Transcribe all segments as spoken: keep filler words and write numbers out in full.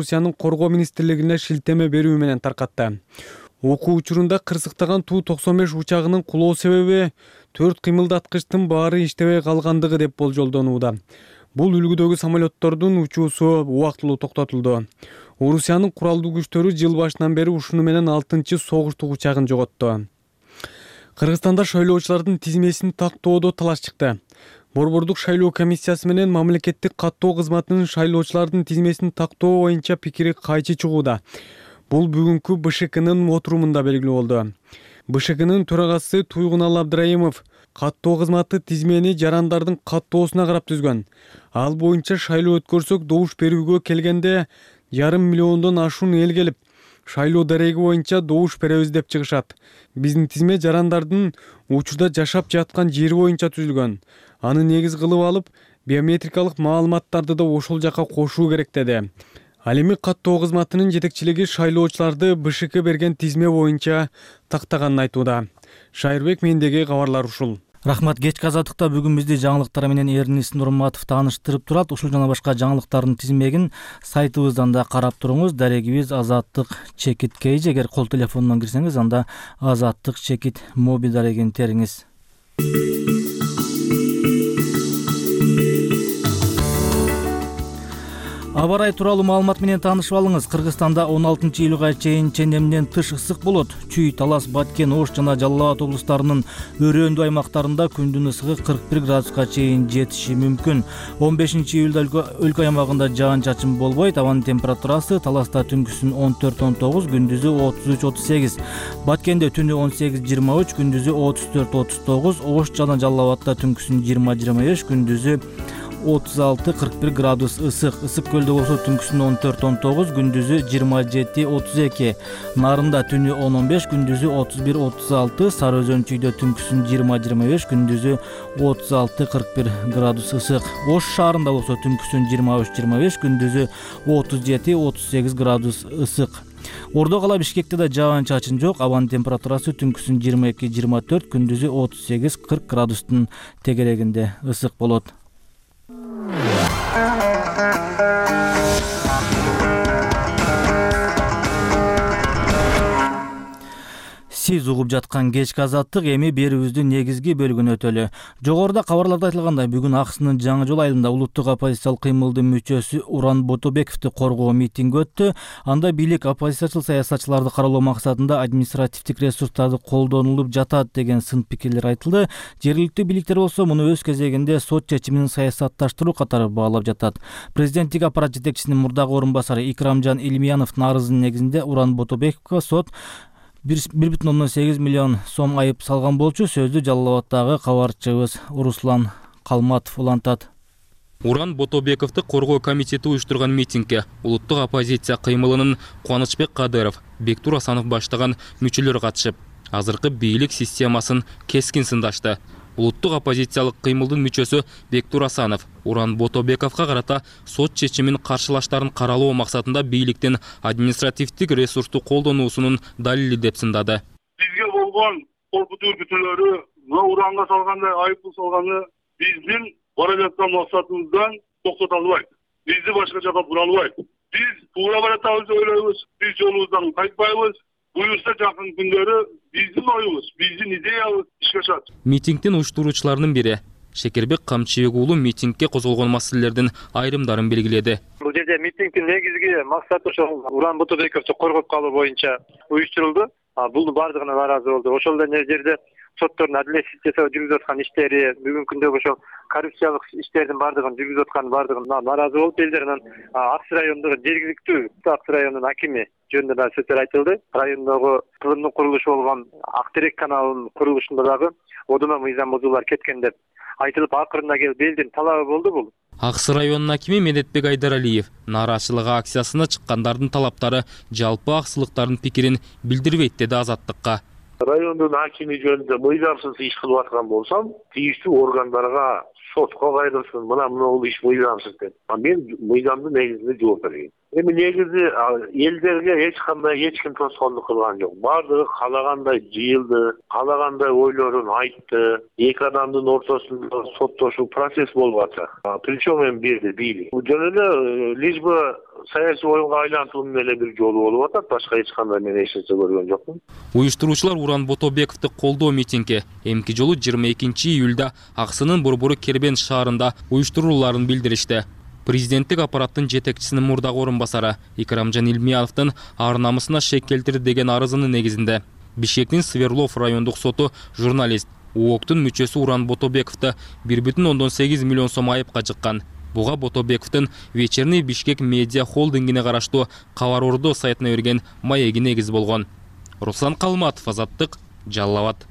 Орусиянын коргоо министрлигине шилтеме берүү менен таркатты. Окуу учурунда кырсыктаган Ту токсон беш учагынын кулоо себеби төрт кыймылдаткычтын баары иштебей калгандыгы деп болжолдонууда. Бул үлгүдөгү самолеттордун учуусу убактылуу токтотулду. Орусиянын куралдуу күчтөрү жыл башынан бери ушуну менен алтынчы согуштук учагын жоготту. Кыргызстанда шайлоочулардын тизмесин тактоодо талаш чыкты. Борбордук шайлоо комиссиясы менен мамлекеттик каттоо кызматынын шайлоочулардын тизмесин тактоо боюнча пикири кайчы чыгууда. Бул бүгүнкү Б Ш Кнын отурумунда белгилүү болду. Б Ш Кнын төрагасы Туйгунал Абдраимов каттоо кызматы тизмени жарандардын каттоосуна карап түзгөн. Ал боюнча шайлоо өткөрсөк добуш берүүгө келгенде жарым миллиондон ашуун эл келип, шайлоо дареги боюнча добуш беребиз деп чыгышат. Биздин тизме жарандардын учурда жашап жаткан жери боюнча түзүлгөн. Аны негиз кылып алып, биометрикалык маалыматтарды да ошол жака кошуу керек деди. Ал эми каттоо кызматынын жетекчилиги шайлоочуларды Б Ш К берген тизме боюнча тактаганын айтууда. Шайырбек, мендеги кабарлар ушул. Рахмат. Кечки азаттыкта бүгүн бизди жаңылыктар менен Эрнис Нурматов тааныштырып турат. Ушул жана башка жаңылыктардын тизмегин сайтыбыздан да карап туруңуз. Дарегибиз Азаттык чекит Кей. Эгер кол телефонунан кирсеңиз, анда Азаттык чекит моби дарегин териңиз. Аба ырайы тууралуу маалымат менен таанышып алыңыз. Кыргызстанда он алтынчы июлга чейин ченемден тыш ысык болот. Чүй, Талас, Баткен, Ош жана Жалал Абад облустарынын өрөөндүү аймактарында күндүн ысыгы кырк бир градуска чейин жетиши мүмкүн. он бешинчи июлда өлкө аймагында жаан-чачын болбойт. Абанын температурасы Таласта түнкүсүн он төрт он тогуз, күндүзү отуз үч отуз сегиз. Баткенде түнү он сегиз жыйырма үч, күндүзү отуз төрт отуз тогуз. Ош жана Жалал Абадта түнкүсүн жыйырма жыйырма беш, күндүзү отуз алты кырк бир градус ысык. Ысык көлдө болсо түнкүсүн он төрт он тогуз, күндүзү жыйырма жети отуз эки. Нарында түнү он он беш, күндүзү отуз бир отуз алты. Сары Өзөн чүйдө түнкүсүн жыйырма жыйырма беш, күндүзү отуз алты кырк бир градус ысык. Ош шаарында болсо түнкүсүн жыйырма үч жыйырма беш, күндүзү отуз жети отуз сегиз градус ысык. Ордо кала Бишкекте да жаан-чачын жок. Абанын температурасы түнкүсүн жыйырма эки жыйырма төрт, күндүзү отуз сегиз кырк градустун тегерегинде ысык болот. Сиз угуп жаткан кечки азаттык эми берүүбүздүн негизги бөлүгүнө өтөлү. Жогоруда кабарларда айтылгандай, бүгүн Аксынын Жаңы жол айылында улуттук оппозициялык кыймылдын мүчөсү Уран Ботобековду коргоо митинги өттү. Анда бийлик оппозициячыл саясатчыларды каралоо максатында административдик ресурстарды колдонулуп жатат деген сын пикирлер айтылды. Жергиликтүү бийликтер болсо муну өз кезегинде сот чечимин саясатташтыруу катары баалап жатат. Президенттик аппарат жетекчисинин мурдагы орун басары Икрамжан Илмияновдун арызынын негизинде Уран Ботобековго сот бир бүтүн ондон сегиз миллион сом айып салган болчу. Сөздү Жалал Абадтагы кабарчыбыз Руслан Калматов улантат. Уран Ботобековду коргоо комитети уюштурган митингге улуттук оппозиция кыймылынын Кубанычбек Кадыров, Бектур Асанов баштаган мүчөлөр катышып, азыркы бийлик системасын кескин сындашты. Улуттук оппозициялык кыймылдын мүчөсү Бектур Асанов Уран Ботобековго карата сот чечимин каршылаштарын каралоо максатында бийликтин административдик ресурсту колдонуусунун далили деп сындады. Бизге болгон коркутуу үркүтүүлөрү, мына Уранга салгандай айыппул салганы биздин бара жаткан максатыбыздан токтото албайт. Бизди башка жака бура албайт. Биз туура баратабыз деп ойлойбуз. Биз жолубуздан кайтпайбыз. Буюрса жакын күндөрү биздин оюбуз, биздин идеябыз ишке ашат. Митингдин уюштуруучуларынын бири Шекербек Камчыбек уулу митингге козголгон маселелердин айрымдарын белгиледи. Бул жерде митингдин негизги максаты ошол Уран Ботобековду коргоп калуу боюнча уюштурулду. Бул бардыгына нааразы болду. Ошол эле жерде соттордун адилетсиз жасап жүргүзүп аткан иштери, бүгүнкү күндө ошол коррупциялык иштердин бардыгын жүргүзүп аткан бардыгына нааразы болуп, элдер анан Аксы районундагы жергиликтүү Аксы районунун акими жөнүндө да сөздөр айтылды. Райондогу тылымдын курулушу болгон Актерек каналынын курулушунда дагы одоно мыйзам бузуулар кеткен деп айтылып, акырында келип элдин талабы болду бул. Аксы районунун акими Медетбек Айдаралиев нааразычылык акциясына чыккандардын талаптары жалпы аксылыктардын пикирин билдирбейт деди Азаттыкка. Райондун акими жөнүндө мыйзамсыз иш кылып аткан болсам, тийиштүү органдарга сотко кайрылсын, мына бул иш мыйзамсыз деп. Мен мыйзамдын негизинде жооп берейин. Эми негизи элдерге эч кандай эч ким тоскоолдук кылган жок. Бардыгы каалагандай жыйылды, каалагандай ойлорун айтты. Эки адамдын ортосунда соттошуу процесс болуп атат. Причем эми бирди бийлик. Жөн эле лишь бы саясий оюнга айлантуунун эле бир жолу болуп атат. Башка эч кандай мен эч нерсе көргөн жокмун. Уюштуруучулар Уран Ботобековду колдоо митинги эмки жолу жыйырма экинчи июлда Аксынын Борбору Кербен шаарында уюштурууларын билдиришти. Президенттик аппараттын жетекчисинин мурдагы орун басары Икрамжан Илмияновдун ар намысына шек келтирди деген арызынын негизинде Бишкектин Сверлов райондук соту журналист УОКтун мүчөсү Уран Ботобековду бир бүтүн ондон сегиз миллион сом айыпка жыккан. Буга Ботобековдун Вечерний Бишкек медиа холдингине караштуу Кабар Ордо сайтына берген маеги негиз болгон. Руслан Калматов, Азаттык, Жалал Абад.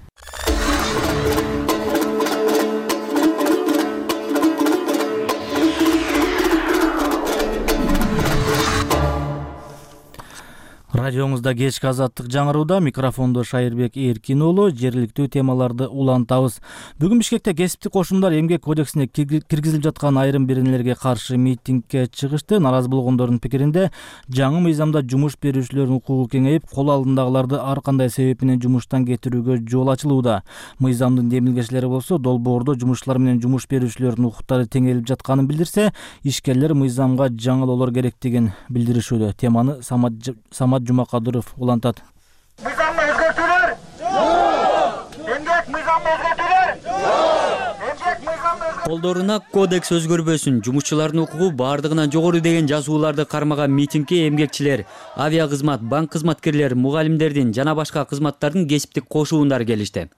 Радиоңузда кечки Азаттык жаңырууда, микрофондо Шайырбек Эркин уулу, жергиликтүү темаларды улантабыз. Бүгүн Бишкекте кесиптик кошундар эмгек кодексине киргизилип жаткан айрым беренелерге каршы митингге чыгышты. Наразы болгондордун пикиринде, жаңы мыйзамда жумуш берүүчүлөрдүн укугу кеңейип, кол алдындагыларды ар кандай себеп менен жумуштан кетирүүгө жол ачылууда. Мыйзамдын демилгечилери болсо, долбоордо жумушчулар менен жумуш берүүчүлөрдүн укуктары теңелип жатканын билдирсе, ишкерлер мыйзамга жаңылоолор керектигин билдиришүүдө. Теманы Самат Жумакадыров улантат. Мыйзамды өзгөртүүлөр? Жок! Эмгек мыйзамды өзгөртүүлөр? Жок! Эмгек мыйзамды өзгөртүүлөр? Колдоруна кодекс өзгөрбөсүн, жумушчулардын укугу бардыгынан жогору деген жазууларды кармаган митингге эмгекчилер, авиакызмат, банк кызматкерлери, мугалимдердин жана башка кызматтардын кесиптик кошуундары келишти.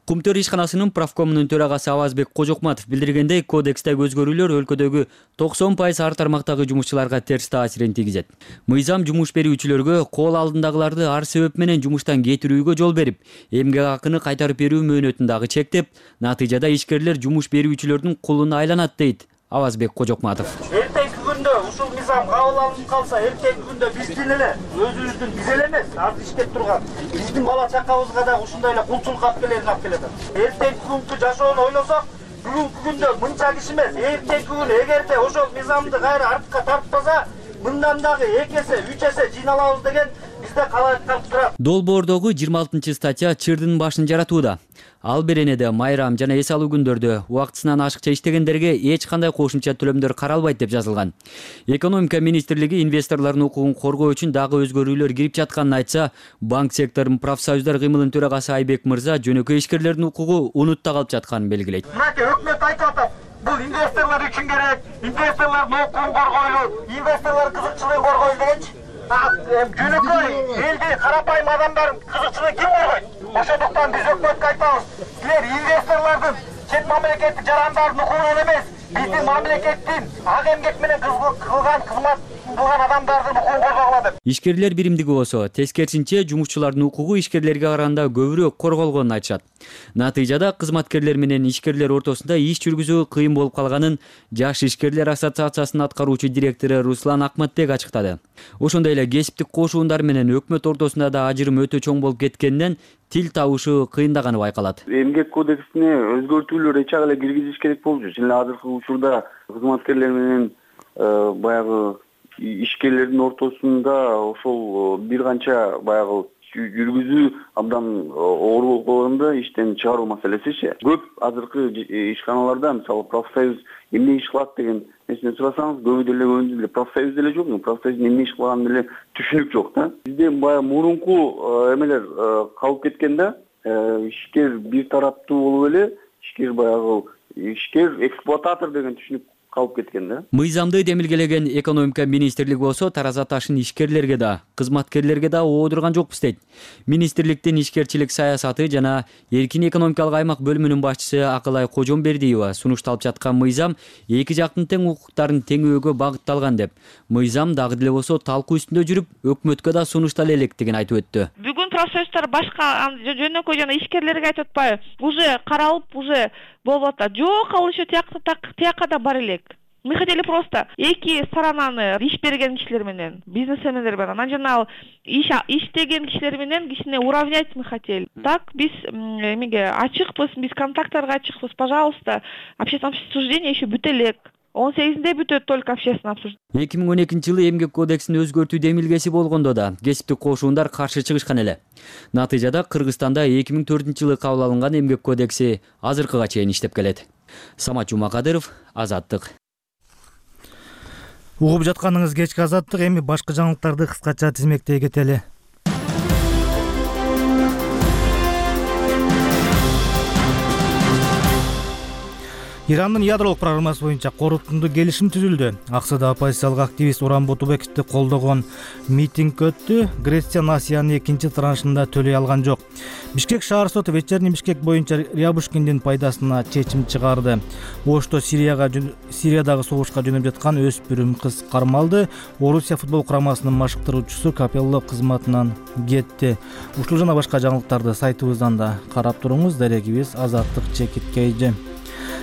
Кумтөр ишканасынын правкомунун төрагасы Авазбек Кожокматов билдиргендей, кодекстеги өзгөрүүлөр өлкөдөгү токсон пайыз ар тармактагы жумушчуларга терс таасирин тийгизет. Мыйзам жумуш берүүчүлөргө кол алдындагыларды ар себеп менен жумуштан кетирүүгө жол берип, эмгек акыны кайтарып берүү мөөнөтүн дагы чектеп, натыйжада ишкерлер жумуш берүүчүлөрдүн кулуна айланат дейт Авазбек Кожокматов. Эртеңки күндө ушул мыйзам кабыл алынып калса, эртеңки күндө биздин эле өзүбүздүн биз эле эмес, азыр иштеп турган биздин бала чакабызга да ушундай эле кулчулук алып келерин алып келет. Эртеңки күnkү жашоону ойлосок, бүгүнкү күндө мынча киши эмес, эртеңки күн эгерде ошол мыйзамды кайра артка тартпаса, мындан дагы эки эсе, үч эсе жыйналабыз деген бизде калайык калып турат. Долбоордогу жыйырма алтынчы статья чырдын башын жаратууда. Ал беренеде майрам жана эс алуу күндөрдө убактысынан ашыкча иштегендерге эч кандай кошумча төлөмдөр каралбайт деп жазылган. Экономика министрлиги инвесторлордун укугун коргоо үчүн дагы өзгөрүүлөр кирип жатканын айтса, банк секторунун профсоюздар кыймылынын төрагасы Айбек Мырза жөнөкөй ишкерлердин укугу унутта калып жатканын белгилейт. Мынакей өкмөт айтып атат, бул инвесторлор үчүн керек, инвесторлордун укугун коргойлу, инвесторлор кызыкчылыгын коргойлу дегенчи. Жөнөкөй элди карапайым адамдардын кызыкчылыгын ким коргойт? Ошондуктан биз өкмөткө айтабыз, силер инвесторлордун, чет мамлекеттик жарандардын укугун эмес, биздин мамлекеттин ак эмгек менен кылган кызмат кылган адамдардын укугун коргогула деп. Ишкерлер биримдиги болсо, тескерисинче жумушчулардын укугу ишкерлерге караганда көбүрөөк корголгонун айтышат. Натыйжада кызматкерлер менен ишкерлер ортосунда иш жүргүзүү кыйын болуп калганын Жаш ишкерлер ассоциациясынын аткаруучу директору Руслан Акматбек ачыктады. Ошондой эле кесиптик кошуундар менен өкмөт ортосунда да ажырым өтө чоң болуп кеткенинен тил табышы кыйындаганы байкалат. Эмгек кодексине өзгөртүүлөр эч ак эле киргизиш керек болчу. Чын эле азыркы учурда кызматкерлер менен баягы ишкерлердин ортосунда ошол бир канча баягы жүргүзүү абдан оор болуп калганда иштен чыгаруу маселесичи. Көп азыркы ишканаларда мисалы профсоюз эмне иш кылат деген нерсени сурасаңыз, көбү деле өзү деле профсоюз деле жок, профсоюздун эмне иш кылганын деле түшүнүк жок да. Бизде баягы мурунку эмелер калып кеткен да, ишкер бир тараптуу болуп эле, ишкер баягы ишкер эксплуататор деген түшүнүк калып кеткен да. Мыйзамды демилгелеген экономика министрлиги болсо тараза ташын ишкерлерге да, кызматкерлерге да оодурган жокпуз дейт. Министрликтин ишкерчилик саясаты жана эркин экономикалык аймак бөлүмүнүн башчысы Акылай Кожомбердиева сунушталып жаткан мыйзам эки жактын тең укуктарын теңөөгө багытталган деп, мыйзам дагы деле болсо талкуу үстүндө жүрүп, өкмөткө да сунуштала электигин айтып өттү. Бүгүн профсоюздар башка жөнөкөй жана ишкерлерге айтып атпайбы? Уже каралып, уже болуп атат. Жок, ал еще тияка да бар элек. Мы хотели просто эки сторонаны иш берген кишилер менен, бизнесмендер менен, анан жана иш иштеген кишилер менен кичине уравнять мы хотели. Так биз эмеге ачыкпыз, биз контакттарга ачыкпыз. Пожалуйста, общественное обсуждение еще бүтө элек. он сегизинде бүтөт только общественное обсуждение. эки миң он экинчи жылы эмгек кодексин өзгөртүү демилгеси болгондо да кесиптик кошуундар каршы чыгышкан эле. Натыйжада Кыргызстанда эки миң төртүнчү жылы кабыл алынган эмгек кодекси азыркыга чейин иштеп келет. Самат Жумакадыров, Азаттык. Угуп жатканыңыз кечки азаттык, эми башка жаңылыктарды кыскача тизмектей кетели. Ирандын ядролук программасы боюнча корутундуу келишим түзүлдү. Аксыда оппозициялык активист Уран Бутубековду колдогон митинг өттү. Греция Насиянын экинчи траншында төлөй алган жок. Бишкек шаар соту вечерний Бишкек боюнча Рябушкиндин пайдасына чечим чыгарды. Ошто Сирияга Сириядагы согушка жөнөп жаткан өспүрүм кыз кармалды. Орусия футбол курамасынын машыктыруучусу Капелло кызматынан кетти. Ушул жана башка жаңылыктарды сайтыбыздан да карап туруңуз. Дарегибиз Азаттык Чекиткейжи.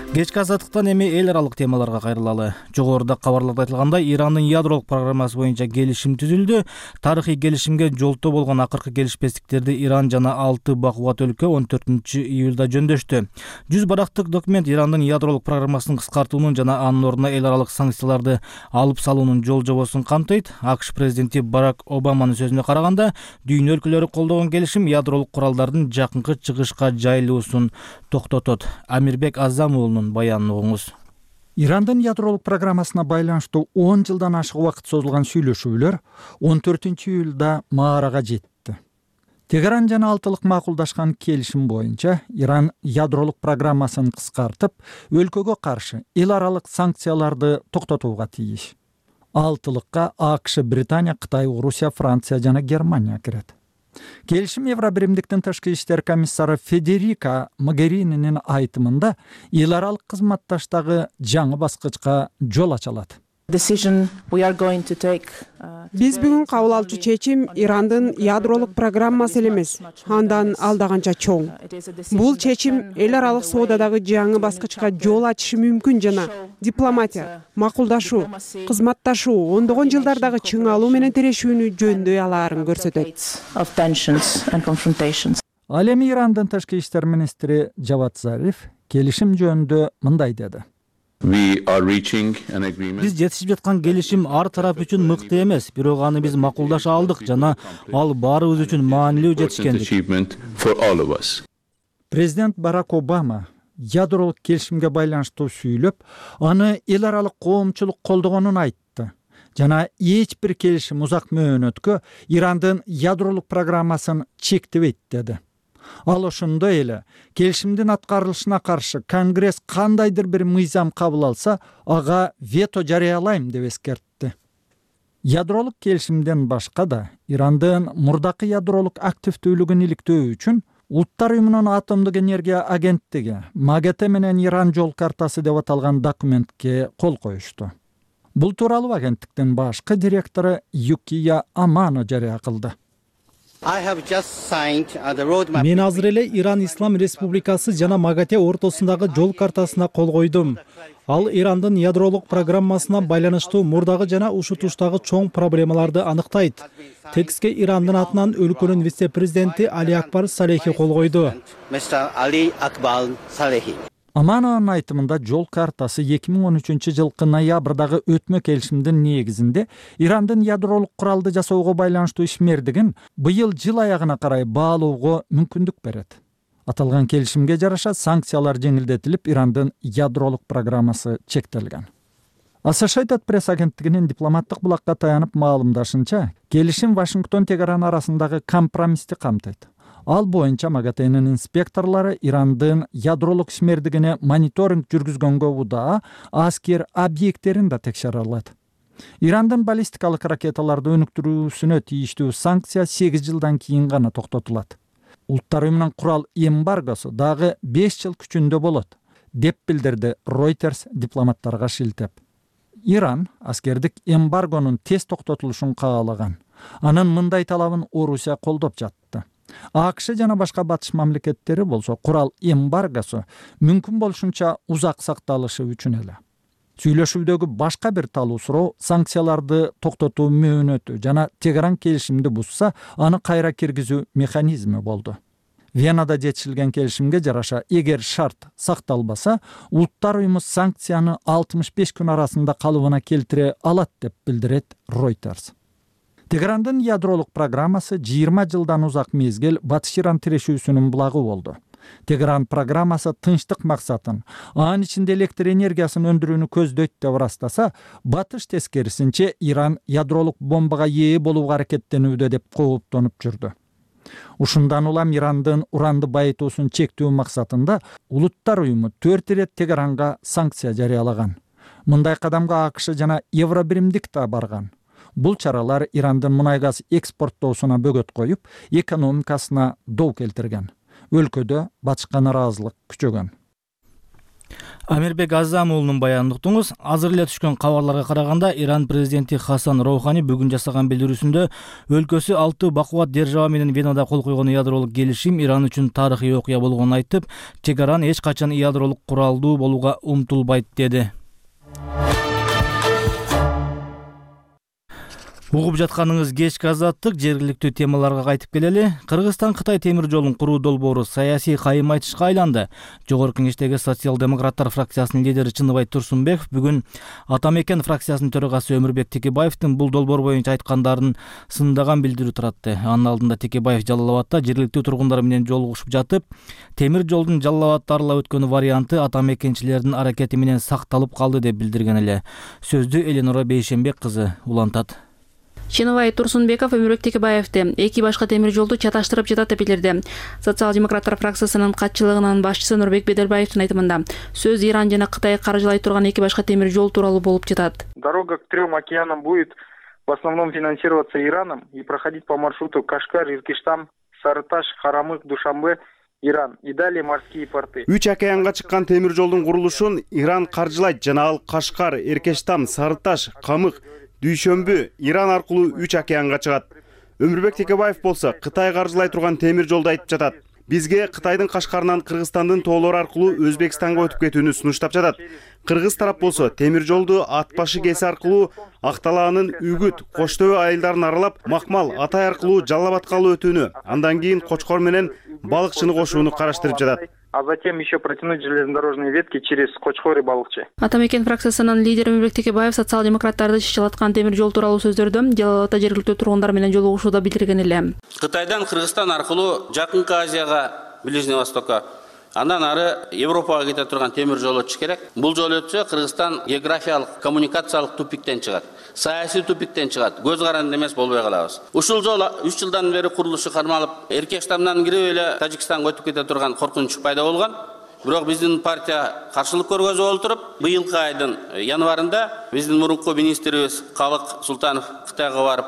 Кечки азаттыктан эми эл аралык темаларга кайрылалы. Жогоруда кабарларда айтылгандай, Ирандын ядролук программасы боюнча келишим түзүлдү. Тарыхый келишимге жолтоо болгон акыркы келишпестиктерди Иран жана алты бакубат өлкө он төртүнчү июлда жөндөштү. жүз барактык документ Ирандын ядролук программасын кыскартуунун жана анын ордуна эл аралык санкцияларды алып салуунун жол жобосун камтыйт. АКШ президенти Барак Обаманын сөзүнө караганда, дүйнө өлкөлөрү колдогон келишим ядролук куралдардын жакынкы чыгышка жайылуусун токтотот. Амирбек Азамуулунун баянын угуңуз. Ирандын ядролук программасына байланыштуу он жылдан ашык убакыт созулган сүйлөшүүлөр он төртүнчү июлда маарага жетти. Тегеран жана Алтылык макулдашкан келишим боюнча Иран ядролук программасын кыскартып, өлкөгө каршы эл аралык санкцияларды токтотууга тийиш. Алтылыкка АКШ, Британия, Кытай, Орусия, Франция жана Германия кирет. Келишим Евробиримдиктин тышкы иштер комиссары Федерика Могерининин айтымында эл аралык кызматташтагы жаңы баскычка жол ачалат. Биз бүгүн кабыл алчу чечим Ирандын ядролук программасы эле эмес, андан алдаганча чоң. Бул чечим эл аралык соодадагы жаңы баскычка жол ачышы мүмкүн жана дипломатия, макулдашуу, кызматташуу, ондогон жылдардагы чыңалуу менен тирешүүнү жөндөй алаарын көрсөтөт. Ал эми Ирандын тышкы иштер министри Жавад Зариф келишим жөнүндө мындай деди. Биз жетишип жаткан келишим ар тарап үчүн мыкты эмес, бирок аны биз макулдаша алдык жана ал баарыбыз үчүн маанилүү жетишкендик. Президент Барак Обама ядролук келишимге байланыштуу сүйлөп, аны эл аралык коомчулук колдогонун айтты. Жана эч бир келишим узак мөөнөткө Ирандын ядролук программасын чектебейт деди. Ал ошондой эле келишимдин аткарылышына каршы Конгресс кандайдыр бир мыйзам кабыл алса, ага вето жарыялайм деп эскертти. Ядролук келишимден башка да Ирандын мурдакы ядролук активдүүлүгүн иликтөө үчүн Улуттар уюмунун атомдук энергия агенттиги МАГАТЭ менен Иран жол картасы деп аталган документке кол коюшту. Бул тууралуу агенттиктин башкы директору Юкия Амано жарыя кылды. Мен азыр эле Иран Ислам Республикасы жана МАГАТЭ ортосундагы жол картасына кол койдум. Ал Ирандын ядролук программасына байланыштуу мурдагы жана ушутуштагы чоң проблемаларды аныктайт. Текстке Ирандын атынан өлкөнүн вице-президенти Али Акбар Салехи кол койду. Аманонун айтымында жол картасы эки миң он үчүнчү жылкы ноябрдагы өтмө келишимдин негизинде Ирандын ядролук куралды жасоого байланыштуу ишмердигин быйыл жыл аягына карай баалоого мүмкүндүк берет. Аталган келишимге жараша санкциялар жеңилдетилип, Ирандын ядролук программасы чектелген. Associated Press агенттигинин дипломаттык булакка таянып маалымдашынча, келишим Вашингтон Тегеран арасындагы компромиссти камтыйт. Ал боюнча МАГАТЭнин инспекторлору Ирандын ядролук ишмердигине мониторинг жүргүзгөнгө удаа аскер объекттерин да текшере алат. Ирандын баллистикалык ракеталарды өнүктүрүүсүнө тийиштүү санкция сегиз жылдан кийин гана токтотулат. Улуттар уюмунун курал эмбаргосу дагы беш жыл күчүндө болот, деп билдирди Reuters дипломаттарга шилтеп. Иран аскердик эмбаргонун тез токтотулушун каалаган. Анын мындай талабын Орусия колдоп жатты. АКШ жана башка батыш мамлекеттери болсо курал эмбаргосу мүмкүн болушунча узак сакталышы үчүн эле. Сүйлөшүүдөгү башка бир талуу суроо санкцияларды токтотуу мөөнөтү жана Тегеран келишимди бузса, аны кайра киргизүү механизми болду. Венада жетишилген келишимге жараша, эгер шарт сакталбаса, Улуттар уюму санкцияны алтымыш беш күн арасында калыбына келтире алат деп билдирет Reuters. Тегерандын ядролук программасы жыйырма жылдан узак мезгил Батыш Иран тирешүүсүнүн булагы болду. Тегеран программасы тынчтык максатын, анын ичинде электр энергиясын өндүрүүнү көздөйт деп ырастаса, батыш тескерисинче Иран ядролук бомбага ээ болууга аракеттенүүдө деп кооптонуп жүрдү. Ушундан улам Ирандын уранды байытуусун чектөө максатында Улуттар уюму төрт ирет Тегеранга санкция жарыялаган. Мындай кадамга АКШ жана Евробиримдик да барган. Бул чаралар Ирандын мунай газ экспорттоосуна бөгөт коюп, экономикасына доо келтирген. Өлкөдө батышка нараазылык күчөгөн. Амирбек Азам уулунун баянын уктуңуз. Азыр эле түшкөн кабарларга караганда, Иран президенти Хасан Роухани бүгүн жасаган билдирүүсүндө өлкөсү алты бакубат держава менен Венада кол койгон ядролук келишим Иран үчүн тарыхый окуя болгонун айтып, Тегеран эч качан ядролук куралдуу болууга умтулбайт деди. Угуп жатканыңыз кечки азаттык, жергиликтүү темаларга кайтып келели. Кыргызстан Кытай темир жолун куруу долбоору саясий кайым айтышка айланды. Жогорку Кеңештеги социал-демократтар фракциясынын лидери Чыныбай Турсунбеков бүгүн Ата Мекен фракциясынын төрагасы Өмүрбек Текебаевдин бул долбоор боюнча айткандарын сындаган билдирүү таратты. Анын алдында Текебаев Жалал Абадта жергиликтүү тургундар менен жолугушуп жатып, темир жолдун Жалал Абадты аралап өткөнү варианты Ата Мекенчилердин аракети менен сакталып калды деп билдирген эле. Сөздү Эленора Бейшембек кызы улантат. Чыныбай Турсунбеков Өмүрбек Текебаевди эки башка темир жолду чаташтырып жатат деп билдирди. Социал-демократтар фракциясынын катчылыгынын башчысы Нурбек Бедербаевдин айтымында сөз Иран жана Кытай каржылай турган эки башка темир жол тууралуу болуп жатат. Дорога к трем океанам будет в основном финансироваться Ираном и проходить по маршруту Кашгар, Иркиштам, Сарыташ, Харамык, Душанбе, Иран и далее морские порты. Үч океанга чыккан темир жолдун курулушун Иран каржылайт жана ал Кашгар, Эркештам, Сарыташ, Камык, Дүйшөмбү, Иран аркылуу үч океанга чыгат. Өмүрбек Текебаев болсо Кытай каржылай турган темир жолду айтып жатат. Бизге Кытайдын Кашкарынан Кыргызстандын тоолору аркылуу Өзбекстанга өтүп кетүүнү сунуштап жатат. Кыргыз тарап болсо темир жолду Ат башы кеси аркылуу Акталаанын Үгүт, Коштөбө айылдарын аралап, Макмал, Атай аркылуу Жалал Абадка өтүүнү, андан кийин Кочкор менен Балыкчыны кошууну караштырып жатат. А затем еще протянуть железнодорожные ветки через Кочкор и Балыкчы. Ата Мекен фракциясынын лидери Өмүрбек Текебаев социал-демократтарды чычалаткан темир жол тууралуу сөздөрдө Жалал Абадта жергиликтүү тургундар менен жолугушууда билдирген эле. Кытайдан Кыргызстан аркылуу Жакынкы Азияга, Ближний Востокко, андан ары Европага кете турган темир жол өтүш керек. Бул жол өтсө Кыргызстан географиялык, коммуникациялык тупиктен чыгат. Саясий тупиктен чыгат. Көз каранды эмес болбой калабыз. Ушул жол үч жылдан бери курулушу кармалып, Эркештамдан кирип эле Тажикстанга өтүп кете турган коркунуч пайда болгон. Бирок биздин партия каршылык көргөзүп отуруп, быйылкы айдын январында биздин мурунку министрибиз Калык Султанов Кытайга барып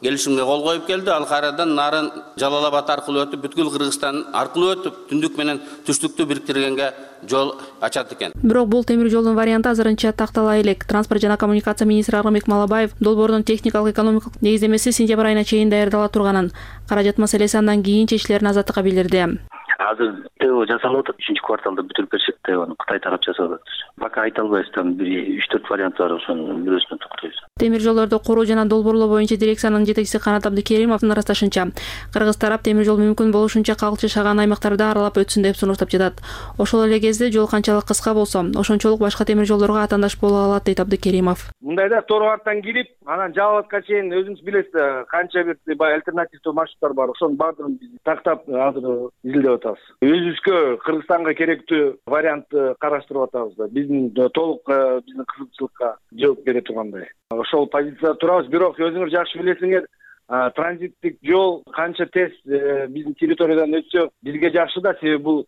келишимге кол коюп келди. Ал кайрадан нарын Жалал Абад аркылуу өтүп, бүткүл Кыргызстан аркылуу өтүп, түндүк менен түштүктү бириктиргенге жол ачат экен. Бирок бул темир жолдун варианты азырынча тактала элек. Транспорт жана коммуникация министри Аргынбек Малабаев долбоордун техникалык экономикалык негиздемеси сентябрь айына чейин даярдала турганын, каражат маселеси андан кийин чечилерин Азаттыкка билдирди. Азыр ТЭО жасалып атат, үчүнчү кварталда бүтүрүп беришет ТЭОну, Кытай тарап жасап атат. Пока айта албайбыз, там бир үч төрт вариант бар, ошонун бирөөсүнө токтойбуз. Темир жолдорду куруу жана долбоорлоо боюнча дирекциянын жетекчиси Канат Абдыкеримовдун ырасташынча, Кыргыз тарап темир жол мүмкүн болушунча калкчы шаган аймактарды аралап өтсүн деп сунуштап жатат. Ошол эле кезде жол канчалык кыска болсо, ошончолук башка темир жолдорго атаандаш боло алат дейт Абдыкеримов. Мындайда Торгардтан кирип, анан Жалал Абадка чейин өзүңүз билесиз, канча бир альтернативдүү маршруттар бар. Ошонун баардыгын биз тактап азыр изилдеп атабыз. Өзүбүзгө Кыргызстанга керектүү вариантты караштырып атабыз. Биздин толук биздин кызыкчылыкка жооп бере тургандай. Ошол позицияда турабыз, бирок өзүңөр жакшы билесиңер, транзиттик жол канча тез биздин территориядан өтсө бизге жакшы да, себеби бул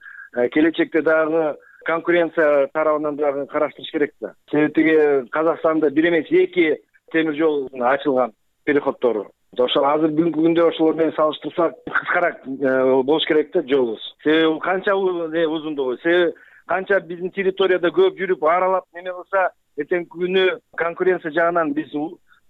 келечекте дагы конкуренция тарабынан дагы караштырыш керек да. Себеби Казакстанда бир эмес эки темир жол ачылган переходтору. Ошол азыр бүгүнкү күндө ошолор менен салыштырсак кыскараак болуш керек да жолубуз. Себеби канча узундугу, себеби канча биздин территорияда көп жүрүп аралап неме кылса, эртеңки күнү конкуренция жагынан биз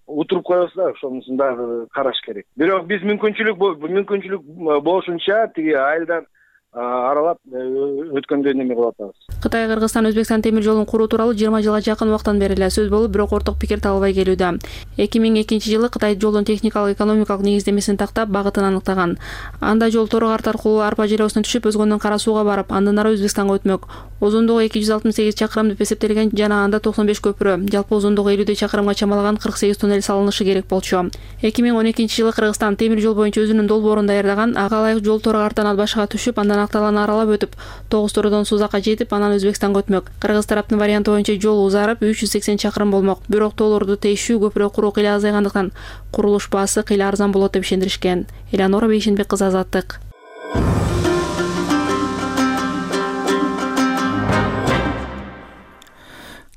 утуруп коебуз да, ошонусун дагы караш керек. Бирок биз мүмкүнчүлүк мүмкүнчүлүк болушунча тиги айылдан аралап өткөндө неме кылып атабыз. Кытай Кыргызстан Өзбекстан темир жолун куруу тууралуу жыйырма жылга жакын убакыттан бери эле сөз болуп, бирок орток пикир табылбай келүүдө. эки миң экинчи жылы Кытай жолдун техникалык экономикалык негиздемесин тактап, багытын аныктаган. Анда жол Торгарт аркылуу Арпа желосуна түшүп, өзгөндөн Кара сууга барып, андан ары Өзбекстанга өтмөк. Узундугу эки жүз алтымыш сегиз чакырым деп эсептелген жана анда токсон беш көпүрө, жалпы узундугу элүүдөй чакырымга чамалаган кырк сегиз туннель салынышы керек болчу. эки миң он экинчи жылы Кыргызстан темир жол боюнча өзүнүн долбоорун даярдаган, ага ылайык жол Торгарттан Ат башыга түшүп, андан канакталаны аралап өтүп, тогуз турдон Сузакка жетип, анан Өзбекстанга өтмөк. Кыргыз тараптын варианты боюнча жол узарып үч жүз сексен чакырым болмок. Бирок тоолорду тейишүү көпүрө куруу кыйла азайгандыктан курулуш баасы кыйла арзан болот деп ишендиришкен. Элеонора Бейшенбек кызы, Азаттык.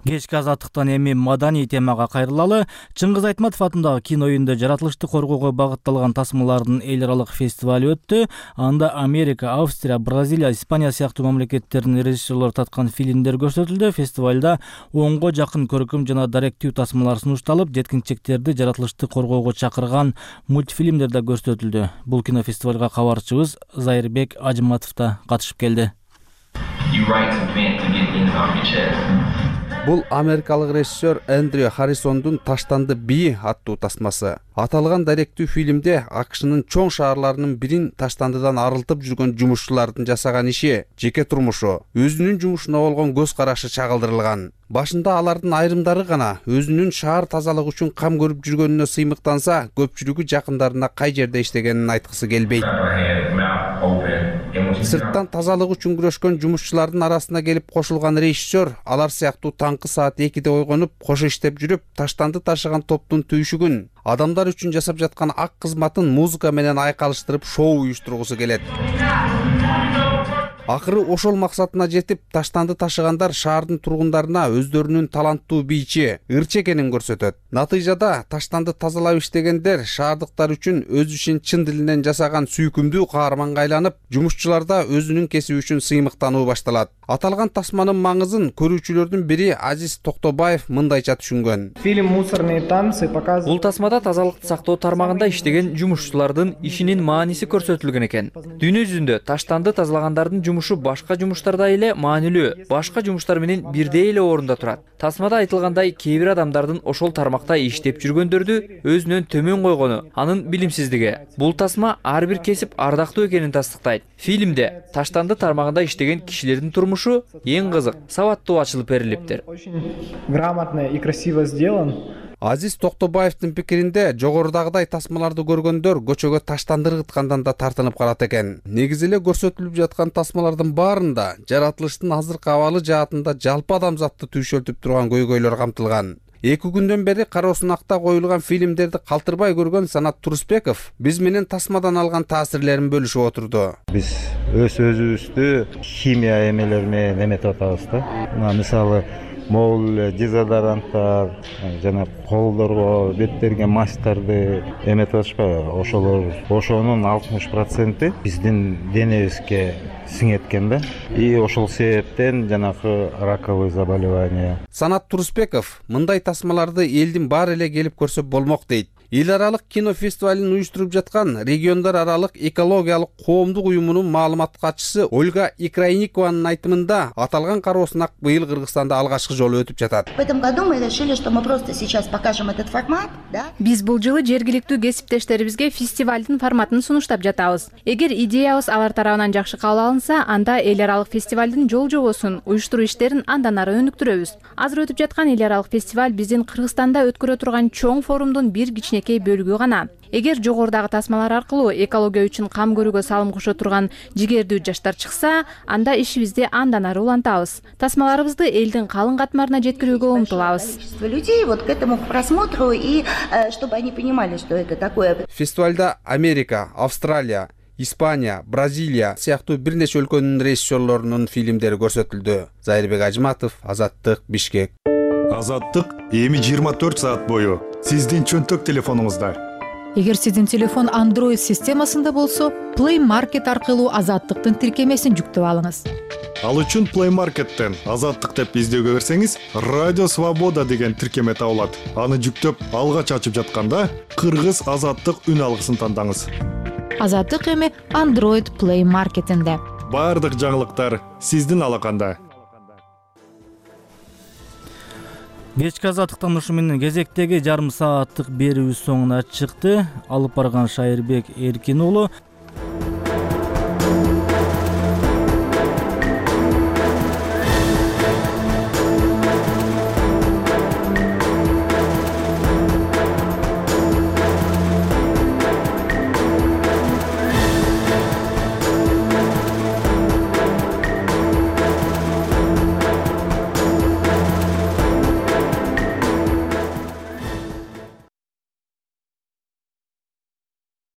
Кечки Азаттыктан эми маданий темага кайрылалы. Чыңгыз Айтматов атындагы кино үйүндө жаратылышты коргоого багытталган тасмалардын эл аралык фестивалю өттү. Анда Америка, Австрия, Бразилия, Испания сыяктуу мамлекеттердин режиссерлору таткан фильмдер көрсөтүлдү. Фестивалда онго жакын көркөм жана даректүү тасмалар сунушталып, жеткинчектерди жаратылышты коргоого чакырган мультфильмдер да көрсөтүлдү. Бул кинофестивалга кабарчыбыз Зайырбек Ажыматов да катышып келди. Бул америкалык режиссер Эндрю Харрисондун «Таштанды бии» аттуу тасмасы. Аталган даректүү фильмде АКШнын чоң шаарларынын бирин таштандыдан арылтып жүргөн жумушчулардын жасаган иши, жеке турмушу, өзүнүн жумушуна болгон көз карашы чагылдырылган. Башында алардын айрымдары гана өзүнүн шаар тазалыгы үчүн кам көрүп жүргөнүнө сыймыктанса, көпчүлүгү жакындарына кай жерде иштегенин айткысы келбейт. Сырттан тазалык үчүн күрөшкөн жумушчулардын арасына келип кошулган режиссер алар сыяктуу таңкы саат экиде ойгонуп, кошо иштеп жүрүп, таштанды ташыган топтун түйшүгүн, адамдар үчүн жасап жаткан ак кызматын музыка менен айкалыштырып шоу уюштургусу келет. Акыры ошол максатына жетип, таштанды ташыгандар шаардын тургундарына өздөрүнүн таланттуу бийчи, ырчы экенин көрсөтөт. Натыйжада таштанды тазалап иштегендер шаардыктар үчүн өз ишин чын дилинен жасаган сүйкүмдүү каарманга айланып, жумушчуларда өзүнүн кесиби үчүн сыймыктануу башталат. Аталган тасманын маңызын көрүүчүлөрдүн бири Азиз Токтобаев мындайча түшүнгөн. Фильм «Мусорные танцы» показывает. Бул тасмада тазалыкты сактоо тармагында иштеген жумушчулардын ишинин мааниси көрсөтүлгөн экен. Дүйнө жүзүндө таштанды тазалагандардын жумушу башка жумуштардай эле маанилүү, башка жумуштар менен бирдей эле орунда турат. Тасмада айтылгандай, кээ бир адамдардын ошол тармакта иштеп жүргөндөрдү өзүнөн төмөн койгону, анын билимсиздиги. Бул тасма ар бир кесип ардактуу экенин тастыктайт. Фильмде таштанды тармагында иштеген кишилердин турмушу эң кызык, сабаттуу ачылып берилиптир. Грамотно и красиво сделан. Азиз Токтобаевдин пикиринде жогорудагыдай тасмаларды көргөндөр көчөгө таштанды ыргыткандан да тартынып калат экен. Негизи эле көрсөтүлүп жаткан тасмалардын баарында жаратылыштын азыркы абалы жаатында жалпы адамзатты түйшөлтүп турган көйгөйлөр камтылган. Эки күндөн бери Кароосунакта коюлган фильмдерди калтырбай көргөн Санат Турусбеков биз менен тасмадан алган таасирлерин бөлүшүп отурду. Биз өз өзүбүздү химия эмелери менен эметип атабыз да. Мына мисалы могул дезодоранттар жана колдорго беттерге масктарды эметип атышпайбы? Ошолор ошонун алтымыш проценти биздин денебизге сиңет экен да. И ошол себептен жанагы раковые заболевания. Санат Турусбеков мындай тасмаларды элдин баары эле келип көрсө болмок дейт. Эл аралык кино фестивалын уюштуруп жаткан региондар аралык экологиялык коомдук уюмунун маалымат катчысы Ольга Икрайникованын айтымында аталган Кароосунак быйыл Кыргызстанда алгачкы жолу өтүп жатат. В этом году мы решили, что мы просто сейчас покажем этот формат, да? Биз бул жылы жергиликтүү кесиптештерибизге фестивалдын форматын сунуштап жатабыз. Эгер идеябыз алар тарабынан жакшы кабыл алынса, анда эл аралык фестивалдын жол жобосун, уюштуруу иштерин андан ары өнүктүрөбүз. Азыр өтүп жаткан эл аралык фестиваль биздин Кыргызстанда өткөрө турган чоң форумдун бир кичинекей бөлүгү гана. Эгер жогорудагы тасмалар аркылуу экология үчүн кам көрүүгө салым кошо турган жигердүү жаштар чыкса, анда ишибизди андан ары улантабыз. Тасмаларыбызды элдин калың катмарына жеткирүүгө умтулабыз. Людей вот к этому просмотру и чтобы они понимали, что это такое. Фестивалда Америка, Австралия, Испания, Бразилия сыяктуу бир нече өлкөнүн режиссерлорунун фильмдери көрсөтүлдү. Зайырбек Ажыматов, Азаттык, Бишкек. Азаттык эми жыйырма төрт саат бою сиздин чөнтөк телефонуңузда. Эгер сиздин телефон Android системасында болсо, Play Market аркылуу Азаттыктын тиркемесин жүктөп алыңыз. Ал үчүн Play Market'тен Азаттык деп издөөгө берсеңиз, Радио Свобода деген тиркеме табылат. Аны жүктөп алгач ачып жатканда Кыргыз Азаттык үн алгысын тандаңыз. Азаттык эми Android Play Market'инде. Бардык жаңылыктар сиздин алаканда. Кечки Азаттыктан ушу менен кезектеги жарым сааттык берүүбүз соңуна чыкты. Алып барган Шайырбек Эркин уулу.